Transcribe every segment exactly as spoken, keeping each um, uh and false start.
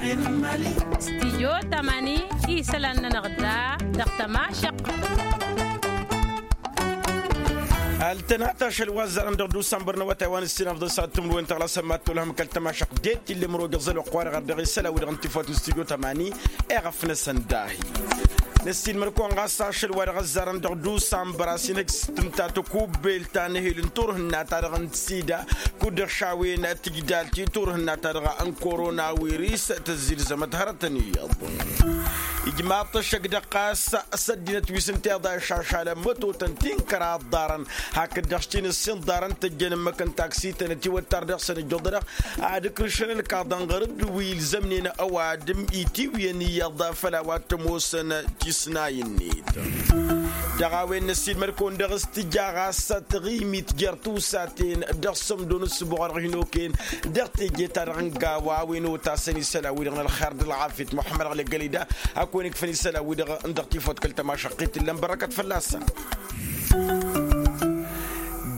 Stijyo tamani isălan-nănăɣ da dăɣ-tămašăq. Ăltănat ašăl wa ăzzarăn dăɣ-dusambăr n-awătay wa n-ǝssin afḍăn s-ad-tǝmrǝwen tăɣlasăn mad-tolhăm kăl-tămašăq. Dd-tillăm roge ăẓăl oqq-wa-dăɣ ărdăɣ isălan-wi-dăɣ n-tifawt n-stijyo tamani. Eɣăf-năsăn dahi năssiilmăr-kăwăn ɣas ašăl wa dăɣ-ăzzarăn dăɣ-dusambăr a-s inhăj s-tǝmta tăkubbelt ta n-ehel n-turhǝnna-ta-dăɣ n-sida kud-dăɣ šawen tǝjdalt i-turhǝnna-ta-dăɣ n-koronawiris tăzzilzămăt hărătăn iyyăḍ. Ijmaḍ-t ăššăk dăɣ-ɣas s-ăddinăt wi s-ǝnta iḍa išašalăn mătotăn ti n-kăraḍ ḍarăn hakd-dăɣ s-ti n-ǝssin ḍarăn tăjjăn ǝmmǝk n-taksităn ătiwăttar dăɣ-săn ǝjjuḍănăɣ ad-ǝkrǝšăn ǝlkaḍăn ɣur-dd wi ilzămnen ăwadǝm itiwǝyăn iyyăḍ făll-a-wa t-ămoosăn tisnay-net. Dăɣ-a-wen năssiilmăd-kăwăn dăɣ-s tǝja ɣas taɣimit jer-tusaten dăɣ-sămdo n-ǝssǝbuɣ wa dăɣ-hin-okăyăn dăɣ-teje-ta-dăɣ n-gawa a-wen otasăn isălan-wi-dăɣ n-ălxer d-ălɣafyăt muḥămmăd ăɣlăgălida. Ad-kăwăn-ikfăn isălan-wi-dăɣ n-dăɣ-tifawt kăl-tămašăqqit ǝllăn bărăkăt fălla-săn.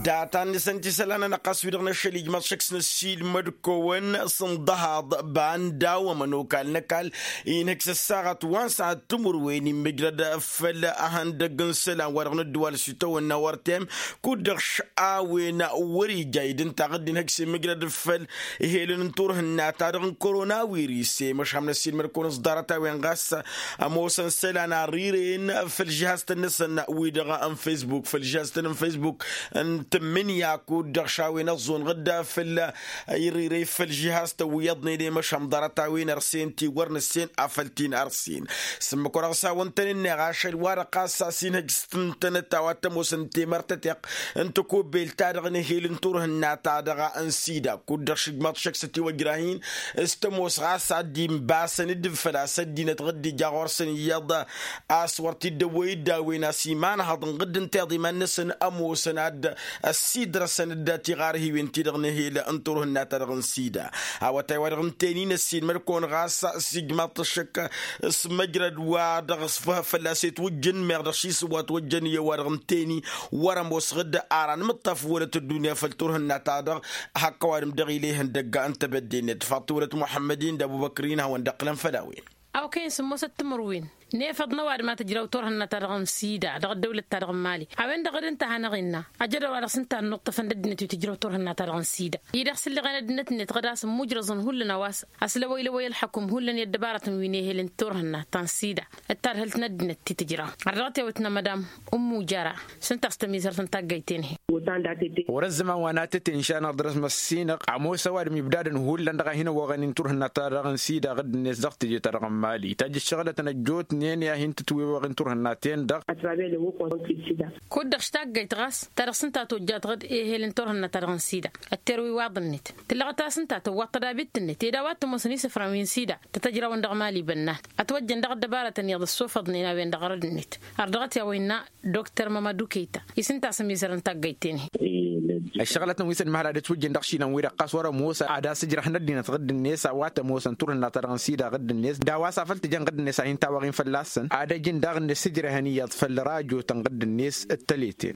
Data-net ǝnta isălan-nănăɣ ɣas wi-dăɣ n-ašăl ijmaḍ šăkk s-năssiilmăd-kăwăn s-ǝnḍăhaḍ banda wa ămănokal n-ăkall inhǝk s-ăssaɣăt wa n-săhat timǝrwen immǝjrăd făll-ehăndăgg n-isălan wa dăɣ-nǝddǝwal s-itawănna wăr tem kud-dăɣ š-a-wen wăr-ija idǝntaɣ dd-inhǝk s-immǝjrăd făll-ehel n-turhǝnna-ta-dăɣ n-koronawiris i-măšham năssiilmăd-kăwăn s-ḍarăt-a-wen ɣas ămoosăn isălan a ărirăyăn făll-žihaztăn-năsăn wi-dăɣ n-fesbuk făll-žihaztăn n-fesbuk n-tǝmmǝnǝya kud-dăɣ šawen ăẓẓunɣ-dd făll-irǝyrăy făll-žihaztăn wi iyyăḍnen i-măšham ḍarăt-a-wen ărsen ti wăr nǝssen afăl ti n-ărsen. S-ǝmmǝk wa dăɣ-s hawăn-tăn-ǝnneɣ ašăl wa-dăɣ ɣas a-s inhăj s-tǝntănăt a-wa t-ămoosăn temăr tăteɣt n-tăkubbelt-ta-dăɣ n-ehel n-turhǝnna-ta-dăɣ n-sida kud-dăɣ šǝjmaḍ šăkk s-ătiwăjrah-in s-tămoos ɣas ad-dd-inbasăn-dd făl-a-s ăddinăt ɣǝdd ija ɣur-săn iyyăḍ a-s wăr t-dd-ăwwăy-dd a-wen a-s imanhăḍ n-ɣǝdd ǝnta iḍiman-năsăn ămoosăn ad-ăssiidrăsăn-dd tiɣarhiwen-ti-dăɣ n-ehel n-turhǝnna-ta-dăɣ n-sida. Awătay wa dăɣ-ǝnta-en-in ăssiinmăd-kăwăn ɣas s-ijmaḍ-t ăššăk s-măjrăd wa dăɣ-s fălla-s etwǝjjǝn meɣ dăɣ-šisǝwwa ătwăjjăn i-ăwadăɣ ǝnta-en-i wăr-ămoosăɣ-dd ara n-imǝṭṭaf wălăt ăddunya făll-turhǝnna-ta-dăɣ. Hakk ăwadǝm dăɣ-ilehăn dăgg-a n-tebădde-net faḍt wălăt muḥămmăd-in d-ăbubăkr-in hawăn-dd-ăqqǝlăn făll-a-wen. Awkăyăn sǝmmosăt timǝrwen nefăḍ n-ăwadǝm a tǝjraw turhǝnna-ta-dăɣ n-sida dăɣ-ăddăwlăt-ta-dăɣ n-mali a-wen-dăɣ d-ǝnta a hanăɣ-innă ajădăw-wa-dăɣ s-ǝnta a ănnuṭṭăfăn d-ăddinăt wi tǝjraw turhǝnna-ta-dăɣ n-sida. I-dăɣ s-ǝlleɣen ăddinăt-net ɣǝd a-s ǝmmujrăẓăn hullan a-wa s-ăslăwăylăwăy ălḥăkum hullan i-ăddăbarătăn wi n-ehel n-turhǝnna ta n-sida. Ǝttadhǝlt n-ăddinăt ti tǝjra ărdăɣăt i-awǝtnăm madam ǝmmujara s-ǝnta a-s tămizărt n-taggayt-en-hi. Wăr-ăzzăman wa n-atăt inša n-aḍrăs măssinăɣ ămoos ăwadǝm ibdadăn hullan dăɣ-a hin-ăwwăɣăn-in turhǝnna-ta-dăɣ n-sida ɣǝdd-net dăɣ-teje-ta-dăɣ n-mali tajj ǝššăɣlătăn ăjjootnen i-ad-hin-tǝtwewăɣ-in turhǝnna-ten-dăɣ. Kud-dăɣ š-taggayt ɣas ta dăɣ-s ǝnta a tojjat ɣǝd ehel n-turhǝnna-ta-dăɣ n-sida ătterăw iwaḍ-net tǝllăɣăt a-s ǝnta a tăwwăḍ tădabit-net ed a-wa t-ămoosăn isǝfran wi n-sida tăt-ăjrawăn dăɣ-mali bănnan. Ătwăjjăn daɣ ăddăbarătăn iyyăḍ ăssofăḍnen a-wen-dăɣ ɣărăd-net ărdăɣăt i-a-wa innă dokter mămădu kăyta. I-s ǝnta a-s ămizărăn taggayt-en-hi. Ăššăɣǝlătăn wi s-ănmăhăl ad-ătwǝjjăn dăɣ-išilan-wi-dăɣ ɣas wăr-ămoos ad-asǝjrăhăn ăddinăt ɣǝdd-net a-wa t-ămoosăn turhǝnna-ta-dăɣ n-sida ɣǝdd-net d-a-wa s-afăl tǝjăn ɣǝdd-net a hin-tawăɣ-in fălla-săn ad-ăj ǝndaɣ-net sǝjrăhăn iyyăḍ făll-rajotăn ɣǝdd-net d-tăleten.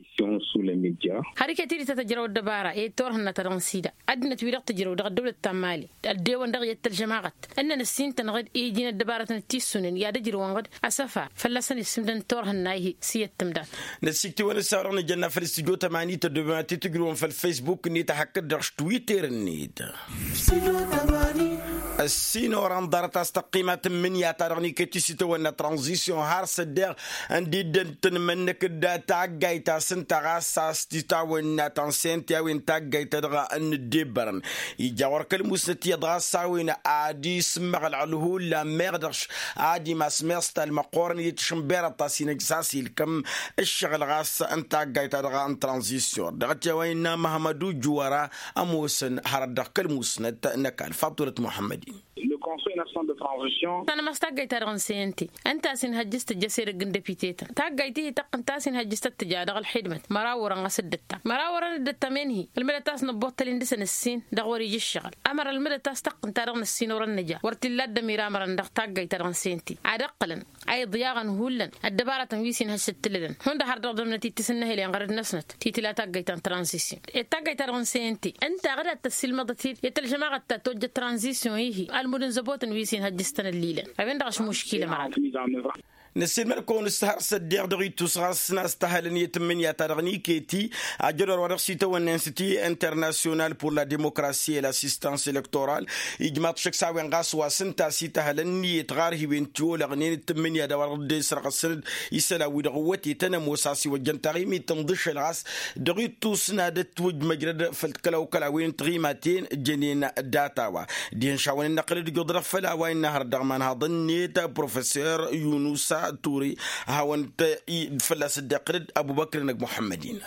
Har iket-dd tăt-ăjrăw ăddăbara i-turhǝnna-ta-dăɣ n-sida ăddinăt-wi-dăɣ tǝjrăw dăɣ-ăddăwlăt ta n-mali ăddewăn dăɣ-iyyăt tălžămaɣăt ǝnnăn ǝssin-tăn ɣǝd iji n-ăddăbarătăn t-issunen i-ad-ǝjrǝwăn ɣǝd asăfar fălla-săn isǝmdăn turhǝnna ihi s-iyyăt tǝmdal. Năssiktǝwăn ǝssaw-dăɣ nǝjănna făll-studyo tămani tăddobem ad-t-tǝjrǝwăn făll-facebook-net a hakd-dăɣ s-twitter-net. Ăssinorăn ḍarăt a-s tăqqima tǝmmǝnǝya-ta-dăɣ n-iket isitawănna tranzisyon har s-ăddeɣ ǝndi dd-ăntǝnmănnăk d-taggayt ta s-ǝnta ɣas a-s titawănna ta n-sente a-wen taggayt-ta-dăɣ n-ǝddebbărăn. Ija ɣur-kăl-musnăt iyyăḍ ɣas a-wen ad-isǝmmăɣlăɣ hullan meɣ dăɣ-š ad-imas meẓtal măqqoorăn i-tǝšǝnberăḍ ta s-inăj s-a-s ilkăm ǝššăɣǝl ɣas n-taggayt-ta-dăɣ n-tranzisyon dăɣ-t i-a-wa innă măhmădu juwăra. Ămoosăn hărăt dăɣ-kăl-musnăt n-ăkall faḍt wălăt muḥămmăd-in. Tanămas taggayt-ta-dăɣ n-sente ǝnta a-s inhăjjǝs tǝjjăs edăgg n-depite-tăn taggayt-i-hi tăqqǝnt a-s inhăjjǝs tăt-tǝja dăɣ-ălxidmăt măraw orăn ɣas dd-ǝttam măraw orăn dd-ǝttam-en-hi. Ǝlmǝdăt a-s năbbuṭṭăl-in dăɣ-săn ǝssin dăɣ-wăr-ija ǝššăɣǝl ămăra ǝlmǝdăt a-s tăqqǝnt-ta-dăɣ n-ǝssin orăn nǝja wăr t-illa dd-ămiramărăn dăɣ-taggayt-ta-dăɣ n-sente ad-ǝqqǝlăn a iḍyaɣăn hullan ăddăbarătăn wi s-inhăššăt tǝllădăn hundăɣ har dăɣ-dămnăt-dd tisǝnnăhǝlen ɣărăd-năsnăt ti tǝla taggayt ta n-tranzisyon. Ed taggayt-ta-dăɣ n-sente ǝnta ɣǝd ad-tăssiilmăḍăt-dd i-tălžămaɣăt ta tojjăt tranzisyon-i-hi ălmud n-zăbo. Botăn wi s-inhăjjăstăn ăllilăn a-wen-dăɣ ašmuškilăm ăra. Năssiilmăd-kăwăn s-har s-ăddiɣ dăɣ-ittus ɣas n-a-s tahălăn i-tǝmmǝnǝya-ta-dăɣ n-iketi ajădor-wa-dăɣ s-itawănnen s-ti internasyonal pur la demokrasi e l-asistans elektoral. Ijmaḍ šăkk s-a-wen ɣas wa s-ǝnta a-s itahălăn i-tiɣarhiwen tiwolăɣnen d-tǝmmǝnǝya d-a-wa-dăɣ dd-esrăɣăsăn-dd isălan-wi-dăɣ ǝwwătetăn ămoos a-s iwăjjăn taɣimit n-iḍǝššăl ɣas dăɣ-ittus n-ad-ătwǝjj măjrăd făll-kăla-okăla a-wen n-tiɣimaten jănen data-wa. Dihen šawăn-in-năqqǝlăd ijjuḍ-dăɣ făll-a-wa innă hărăt dăɣ-imanhaḍăn-net professor yunusa turi. Hawăn-t fălla-s dd-iqqǝlăd ăbubăkr n-ăgg muḥămmăd-in.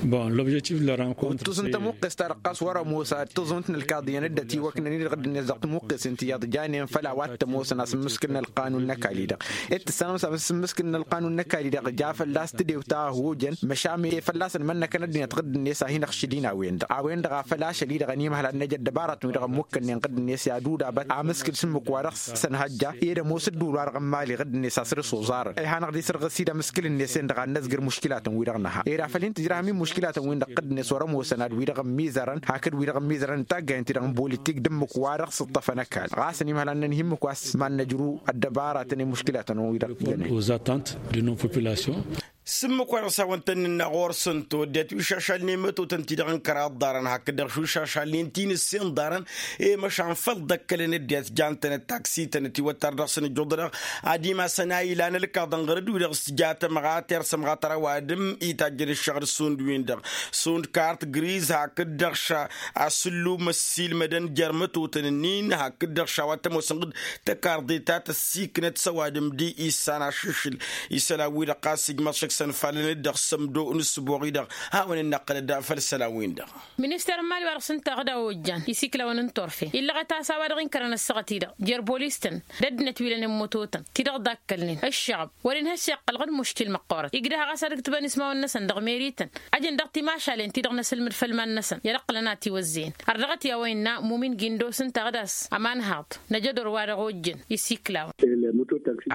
Bon, lobžektif d-lărankunt. Tǝẓǝnt tămuqqes-ta-dăɣ ɣas wăr-ămoos ad-tǝẓǝnt n-ălkaḍiyăn dd-ătiwăknăn-in-dăɣ dd-net dăɣ-tămuqqes-in tiyyăḍ janen făll-a-wa t-ămoosăn a-s ǝmmǝskǝlăn ălqanun n-ăkall-i-dăɣ. Ed tǝssanăm s-a-s ǝmmǝskǝlăn ălqanun n-ăkall-i-dăɣ ja fălla-s tǝdew ta ăhojăn măšan e fălla-săn mănnăkăn ăddinăt ɣǝdd-net a hin-ăɣšǝd-in a-wen-dăɣ a-wen-dăɣ a făl ašăl-i-dăɣ ănimhăl ad-năj ăddăbarătăn-wi-dăɣ ămmukkănnen ɣǝdd-net i-ad-udabăt amǝskǝl s-ǝmmǝk wa dăɣ-s sănhăjja ed ămoos ǝddǝwǝl wa dăɣ-ămmali ɣǝdd-net a săr-s oẓarăn. Ih'-anăɣ d-isărɣǝs-dd amǝskǝl-net-en-dăɣ ad-năzgǝr muškǝlatăn-wi-dăɣ nǝha ed afăl hin-tǝjrahăm i-muškǝlatăn-win-dăɣ ɣǝdd-net wăr-ămoosăn ad-wi-dăɣ ămmizărăn hakd wi-dăɣ ămmizărăn n-taggayăn-ti-dăɣ n-bolittik d-ǝmmǝk wa dăɣ-s ǝṭṭăfăn ăkall ɣas ănimhăl ad-nănhǝy ǝmmǝk wa s-mad-năjru ăddăbarătăn i-muškǝlatăn-wi-dăɣ. Ǝjjănen. Aux attentes de nos populations. S-ǝmmǝk wa dăɣ-s hawăn-tăn-nǝnna ɣur-săn toddet wi šašalnen mătotăn-ti-dăɣ n-kăraḍ ḍarăn hakd-dăɣ wi šašalnen ti n-ǝssin ḍarăn. I-măšan făll-dd-ăkkălăn ăddinăt jan-tănăt taksităn ătiwăttar dăɣ-săn ǝjjuḍ-dăɣ ad-imasăn a ilan ălkaḍăn ɣur-dd-wi-dăɣ s-tija tămɣat i-ar sămɣat ărawad ǝmm itajjăn ǝššăɣǝl šund-win-dăɣ šund kart griz hakd-dăɣ ša asǝllum ăssiilmădăn jer-mătotăn-ǝnnin hakd-dăɣ ša wa t-ămoosăn ɣǝd tăkarḍe ta tăssiknăt s-ăwadǝm d-issan ašǝšǝl. Isălan-wi-dăɣ ɣas ijmăḍ šăkk sănfalăn-dd dăɣ-sămdo n-ǝssǝboɣ-i-dăɣ hawăn-in-năqqǝlăd făll-isălan-win-dăɣ. Minister n-imali wa dăɣ-s ǝnta ɣǝd a ojjan isiklawăn n-turfen illăɣăt a-s a-wa dăɣ-inkărăn ăssaɣăt-i-dăɣ jer-bolis-tăn d-ăddinăt wi lănen mototăn ti-dăɣ dd-akkălnen ǝššăɣăb wăr-inhăš iqqăl ɣǝd muškil măqqoorăt igdăh ɣas ad-ǝktǝbăn ismawăn-năsăn dăɣ-meri-tăn. Ăjăn dăɣ-timašalen ti-dăɣ n-asǝlmǝd făll-iman-năsăn i-ad-ǝqqǝlăn a tiwăzzeyăn. Ărdăɣăt i-a-wa innă mumin gindo s-ǝnta ɣǝd a-s ămanhaḍ năjădor wa dăɣ-ojjăn isiklawăn.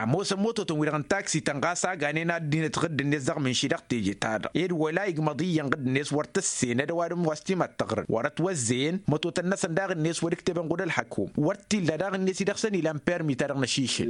Ămoosăn mototăn-wi-dăɣ n-taksităn ɣas a ganen ăddinăt ɣǝdd-net dăɣ-mǝnši dăɣ-teje-ta-dăɣ ed wăla igmăḍ iyyăn ɣǝdd-net wăr tǝssenăd ăwadǝm wa s-timattăɣrǝd wăr-ătwăzzeyăn mătotăn-năsăn daɣ-net wăr-ǝktebăn ɣud ălḥăkum. Wăr t-illa daɣ-net i-dăɣ-săn ilan permi-ta-dăɣ n-ašišǝl.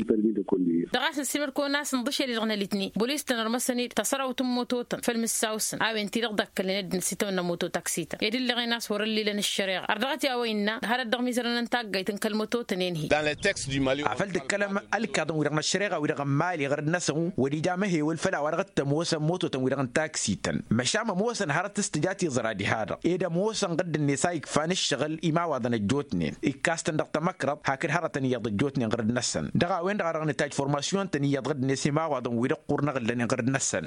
Dăɣ-a-s nǝssimăr-kăwăn a-s ǝnḍǝšel-i-dăɣ n-alitni bolis-tăn ărmăsăn-dd tăsărawt n-mototăn făll-mǝssaw-săn a-wen-ti-dăɣ dd-ăkkălnen ăddinăt s-itawănna mototaksităn ed ǝlleɣen a-s wăr-ăllilăn ăššăreɣa ărdăɣăt i-a-wa innă hărăt dăɣ-mizărăn n-taggayt n-kăl-mototăn-en-hi. Dan le text du mali. Afăl d-ǝkkălăm ălkaḍăn-wi-dăɣ n-ăššăreɣa-wi-dăɣ n-imali ɣur-dd-năsăn wăr-ija amăhewăl făll-a-wa dăɣ-t ămoosăn mototăn-wi-dăɣ n-taksităn măšan ămoosăn hărăt s-tǝja tiẓra diha-dăɣ ed ămoosăn ɣǝdd-net a ikfan ǝššăɣǝl imawaḍăn ăjjootnen ikkastăn dăɣ-tamăkrăḍt hakd hărătăn iyyăḍ ăjjootnen ɣur-dd-năsăn dăɣ-a-wen-dăɣ a dăɣ-nǝtajj formasyon-tăn iyyăḍ ɣǝdd-net imawaḍăn-wi-dăɣ ɣur-năɣǝllănen ɣur-dd-năsăn.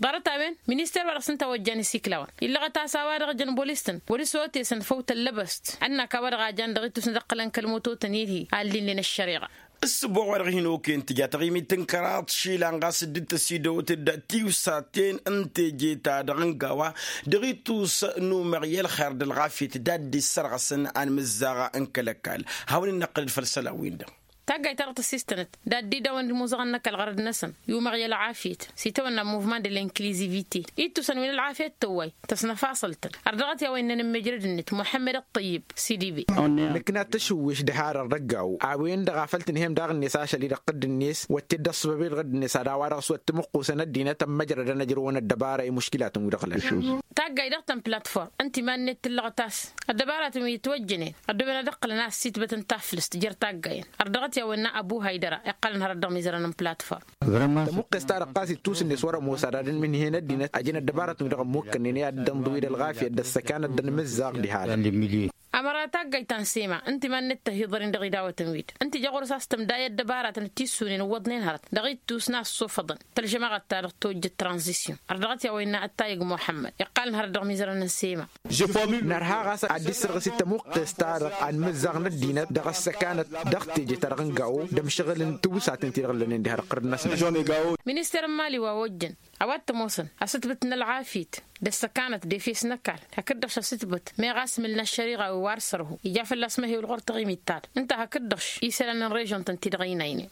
Ḍarăt-a-wen minister wa dăɣ-s ǝnta a ojjan isiklawăn illăɣăt a-s a-wa dăɣ-jăn bolis-tăn wăr-s otesăn făw tăllăbăst ănnak a-wa dăɣ-a jan dăɣ-ittus n-ad-ǝqqǝlăn kăl-mototăn-i-dăɣ-hi a ǝllilnen ăššăreɣa. Ǝssǝboɣ wa dăɣ-hin-okăyăn tǝja taɣimit n-kăraḍ išilan ɣas dd-tăsidăwăt d-tiwsaten n-teje-ta-dăɣ n-gawa dăɣ-ittus n-umăɣ i-ălxer d-ălɣafyăt d-ad-dd-issărɣăsăn anmǝzzaɣ n-kăl-ăkall. Hawăn-in-năqqǝlăd făll-isălan-win-dăɣ. Taggayt-ta-dăɣ tăssistănăt d-ad-dd-idawăn d-imuzăɣăn n-ăkall ɣărăd-năsăn i-umăɣ i-ălɣafyăt s-itawănna muvman de l'inkilizivite ittusăn wi n-ălɣafyăt tăwway tăsnăfasăl-tăn. Ărdăɣăt i-a-wa innăn ǝmmijrăd-net muḥămmăd ăṭṭăyyǝb s-d-ibe. Nǝkna tăšǝwwiš d-harăr d-ăggaw a-wen-dăɣ a făl tǝnhăyăm daɣ-net ašăl-i-dăɣ ɣǝdd-net wătted d-ăṣṣăbăb-ed ɣǝdd-net ad-a-wa dăɣ-s wăr t-mǝqqusăn ăddinăt ămmăjrădăn ăjrăwăn ăddăbara i-muškilatăn-wi-dăɣ lănen. Taggayt dăɣ-tăn platform ǝnta iman-net tǝllăɣăt a-s ăddăbaratăn wi ǝtwăjjănen ăddooben ad-ǝqqǝlăn a ăssiitbăt n-taflǝst jer-taggayen. Ărdăɣăt i-a-wa innă ăbu haydăra iqqălăn hărăt dăɣ-imizărăn n-platform. Tămuqqes-ta-dăɣ ɣas ittus-net wăr-ămoos ad-ad-ǝnmǝnhǝyăn ăddinăt ăjăn ăddăbaratăn-wi-dăɣ ămmukkănnen i-ad-dd-ănḍǝw-dd ălɣafyăt d-ăssăkanăt d-anmǝzzaɣ diha-dăɣ. Ămăra taggayt ta n-sema ǝnta iman-net tăhiḍăr-in dăɣ-idawătăn-wi-dăɣ ǝnta ija ɣur-s a-s tǝmdayăt dăbaratăn d-tissunen ǝwwăḍnen hărăt dăɣ-ittus n-assofăḍăn tălžămaɣăt-ta-dăɣ tojjăt tranzisyon. Ărdăɣăt i-a-wa innă ăttayăg muḥămmăd iqqalăn hărăt dăɣ-imizărăn n-sema. Nărha ɣas ad-dd-issărɣǝs-dd tămuqqes-ta-dăɣ anmǝzzaɣ n-ăddinăt dăɣ-ăssăkanăt dăɣ-teje-ta-dăɣ n-gawo d-ămšăɣǝl n-tiwǝsaten-ti-dăɣ ǝllănen diha-dăɣ ɣur-dd-năsnăt. Minister n-imali wa ojjăn a-wa t-ămoosăn asǝtbǝt n-ălɣafyăt d-ăssăkanăt d-efes n-ăkall hakd-dăɣ šăsitbăt meɣ a-s mǝlna ăššăriɣa wi wa ar sărhu ija fălla-s măhewăl ɣur-taɣimit-ta-dăɣ ǝnta hakd-dăɣ. Isălan n-režon-tăn-ti-dăɣ ăynaynen.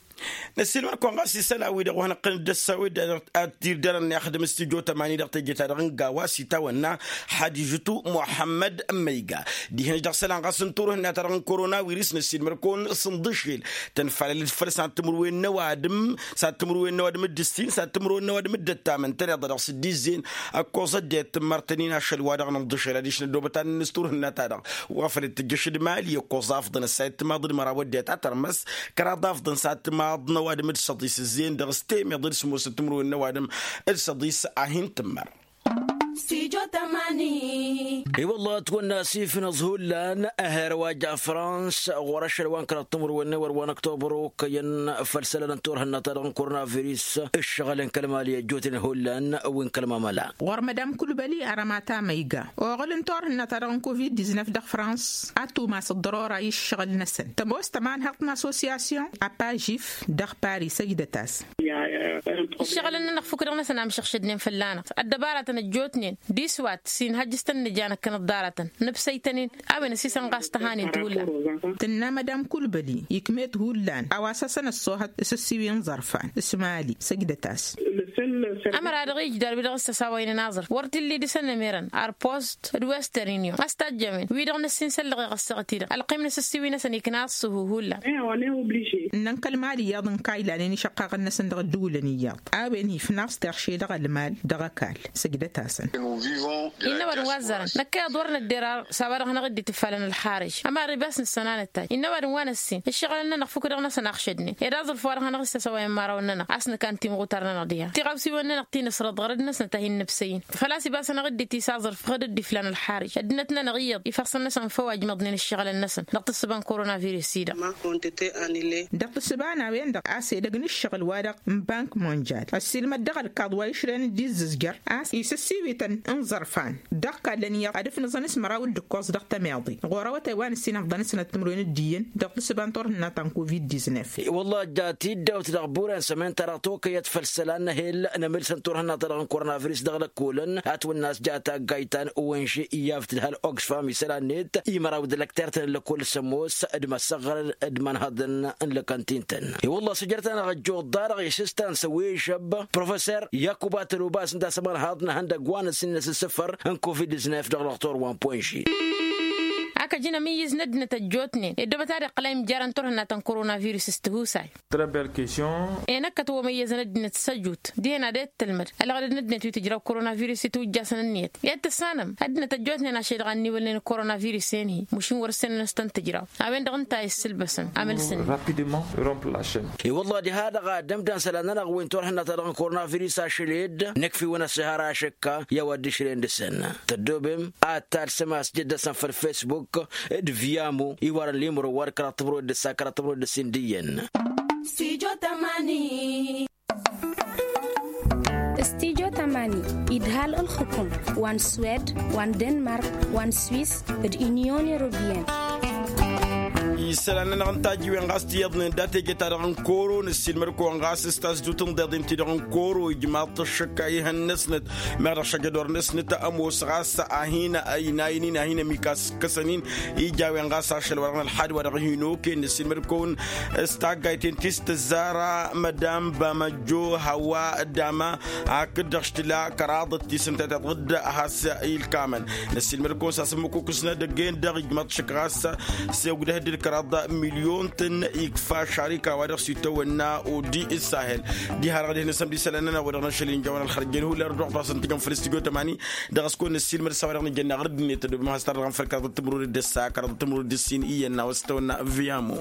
Năssiilmăd-kăwăn ɣas isălan-wi-dăɣ wa hanăɣ-tăn-dd-ăssawed ad-dd-tirderăn i-axdǝm s-tijo tămani dăɣ-teje-ta-dăɣ n-gawa s-itawănna. Hadžǝtu muḥămmăd n-măyga dihen-š dăɣ-isălan ɣas n-turhǝnna-ta-dăɣ n-korona wirǝs năssiilmăd-kăwăn s-ǝnḍǝšel tănfalălăt făll-s ad-timǝrwen n-ăwadǝm s-ad-timǝrwen n-ăwadǝm d-ǝssin s-ad-timǝrwen n-ăwadǝm d-ăttamăn tăneḍ-dăɣ s-dd-izzin ăkkoẓ ăddinăt tǝmmărtăn-in ašăl wa dăɣ-nǝnḍǝšel adiš năddoobăt ad-nǝnnǝs turhǝnna-ta-dăɣ. Wa făl t-tǝjjăš d-imali ăkkoẓ afḍăn ăssayăt timaḍ d-măraw ăddinăt a tărmăs kăraḍ afḍăn s-ad-timaḍ n-ăwadǝm d-săḍis ǝzzeyăn dăɣ-s temeḍe d-sămoosăt timǝrwen n-ăwadǝm d-săḍis a hin-tǝmmăr. I-wălla ătwănna asif n-aẓhullan ahărwa ja frans ɣur-ašăl wa n-kăraḍ timǝrwen n-ewăr wa n-ăktobăr okăyăn făll-isălan n-turhǝnna-ta-dăɣ n-korona virus ǝššăɣǝl n-kăl-mali ăjjootnen hullan wi n-kăl-mamăla. Ɣur-măd amkulbăli arămata ma iga oɣǝl n-turhǝnna-ta-dăɣ n-covid-diznăf dăɣ-frans ad-tumas ăḍḍărora i-ǝššăɣǝl-năsăn tămoos tămanhăḍt n-assosyasyon apajif dăɣ-pari săjdăt-as. Ǝššăɣǝlăn-nănăɣ fukk-dăɣ-năsăn amšăɣšădnen fălla-năɣ ăddăbaratăn ăjjootnen d-iswat s-inhăjj s-tăn-nǝja năkkănăt ḍarătăn nǝbsăy-tăn-in a-wen ăsisăn ɣas tăhanint hullan. Tǝnna mădam kulbăli ikm'-et hullan a-wa s-hasăn-ăṣṣoohăt s-ǝssiwi n-iẓărfan s-mali săjdăt-as. Ămăra-dăɣ ijder wi dăɣ-s ăsawăynen aẓrǝf wăr t-illa idǝsăn ămerăn arpost d-western union a-s tajjămen wi-dăɣ n-ăssinsăllăɣ iɣăssăɣ-t-i-dăɣ ălqim n-asǝssiwi-năsăn ikna ăṣṣuhu hullan. Ǝnnăn kăl-mali iyyăḍ n-kaylanen išăqqaɣăn-năsăn dăɣ-ăddǝwǝlăn iyyăḍ a-wen ifnaẓ terše dăɣ-ălmal dăɣ-ăkall. Săjdăt-asăn. Innă ăwadǝm wa ăzzarăn năkkăyăḍ wăr nădder ar s-a-wa-dăɣ hanăɣ-dd-itifalăn ălxarǝj ămarrib a-s nǝssănanăt-taj innă ăwadǝm wa năssin ǝššăɣǝlăn-nănăɣ fukk-dăɣ-năsăn axšădnen ed aẓrǝf wa-dăɣ hanăɣ-issăsăwăyăn imărawăn-nănăɣ a-s nǝkan timɣutar-nănăɣ diha tiɣawsiwăn-nănăɣ ti nǝsrăḍ ɣărăd-năsnăt a hin-nǝbsăy-in. Făl-a-s ibas hanăɣ-dd-itis aẓrǝf ɣǝd-dd-iflan ălxarǝj ăddinăt-nănăɣ iyyăḍ ifăṣṣăn-năsăn făw a ijmăḍnen ǝššăɣǝlăn-năsăn dăɣ-tǝssǝba n-korona virus-i-dăɣ. Dăɣ-tǝssǝba n-a-wen-dăɣ a-s edăgg n-ǝššăɣǝl-wa-dăɣ n-bank monjal ăssiilmăd dăɣ-ălkaḍ wa išrăn dd-izzǝzjăr a-s isǝssiwităn n-iẓărfan dăɣ-kallăn iyyăḍ ad-ǝfnǝẓăn s-măraw d-ǝkkoẓ dăɣ-temeḍe ɣur-awătay wa nǝssin afḍăn-năsnăt timǝrwen d-iyyăn dăɣ-tǝssǝba n-turhǝnna ta n-covid-diznăf. I-wălla ăjja tiddawt dăɣ-buren sămen-ta-dăɣ tokăyăt făll-isălan n-ehel n-emǝlsăn turhǝnna-ta-dăɣ n-korona virus dăɣ-lăkkolăn a-s wănna a-s ja taggayt ta n-owănže iyyaf tǝdhal oxfam isălan-net i-măraw d-lăkter-tăn n-lăkkol s-ămoos d-măsăɣrăd d-imanhăḍăn n-lăkăntin-tăn. I-wălla săjrăt-anăɣ ăjjoḍ-da-dăɣ isǝstan s-ăwežăb professer yakuba tălobas ǝnta a-s ămanhăḍ n-ehăndăgg wa n-ăssinǝnăs n-isǝfăr n-covid-diznăf dăɣ-lăxtor wa n-ponži. Ak ăj inămǝyyǝz n-ăddinăt ăjjootnen ed dăbăt ad-iqqăl a imjărăn turhǝnna ta n-korona virus s-tihusay. Enăkkăt wămăyyăzăn ăddinăt s-ăjut dihen ad-e-t tǝlmăd ălɣădăd n-ăddinăt wi tǝjraw korona virus itwǝjjasăn ǝnniyăt i-ad-tǝssanăm ăddinăt ăjjootnen ašăl-i-dăɣ a ǝnniwălnen korona virus-en-hi mušin wăr-ǝssenăn s-tăn-tǝjraw. A-wen-dăɣ ǝnta a isǝlbăsăn amǝlsǝnni. I-wălla diha-dăɣ ad-ămdan isălan-nănăɣ wi n-turhǝnna-ta-dăɣ n-korona virus ašăl-ed nǝkf'-iwăn ăṣṣihar ašăkka i-a-wa dd-išrăyăn dăɣ-săn. Tăddoobem ad-talsăm a-s jăddăsăn făll-facebook d-via mo iwarăn limro wa d-kăraḍ timǝrwen d-ǝssa kăraḍ timǝrwen d-ǝssin d-iyyăn. Stijo tămani. Stijo tămani idhal ǝlxǝkum wa n-swed wa n-denmark wa n-swis d-inyon europeyăn. Isălan-nănăɣ n-tajǝwen ɣas tiyyăḍnen dat-eje-ta-dăɣ n-koro nǝssilmăd-kăwăn ɣas s-tasdut n-iḍeḍen-ti-dăɣ n-koro ijmaḍ-t ăššăk a ihăn-năsnăt meɣ dăɣ-šăjădor-năsnăt ămoos ɣas a hin-ăynayăn-in a hin-ămikaskăsăn-in. Ija a-wen ɣas ašăl wa dăɣ-nălxad wa dăɣ-hin-oken nǝssilmăd-kăwăn s-taggayt-en ti s-tǝzzara mădam bamăjjo hăwa dama hakd-dăɣ s-tǝla kăraḍăt ti s-ǝnta tiḍǝd has-ilkamăn. Năssiilmăd-kăwăn s-asǝmmǝk ukǝsnădăgg-en-dăɣ ijmăḍ šăk ɣas s-ogdăh d-kăraḍ milyon-tăn ikfa šarika wa dăɣ-s itawănna odi s-sahel. Diha-dăɣ dihen-năsăn d-isălan-nănăɣ wa dăɣ-năšăl injawăn ălxărjăn hullan ărdăɣ-tăsăn tijăn făll-stijo tămani. Dăɣ-s kăwăn-năssiilmăd s-a-wa dăɣ-nǝjănna ɣăr dd-net tădobem has-tar-dăɣ n-făl kăraḍăt timǝrwen d-ǝssa kăraḍăt timǝrwen d-ǝssin iyyăn n-a-wa s-tawănna viamo.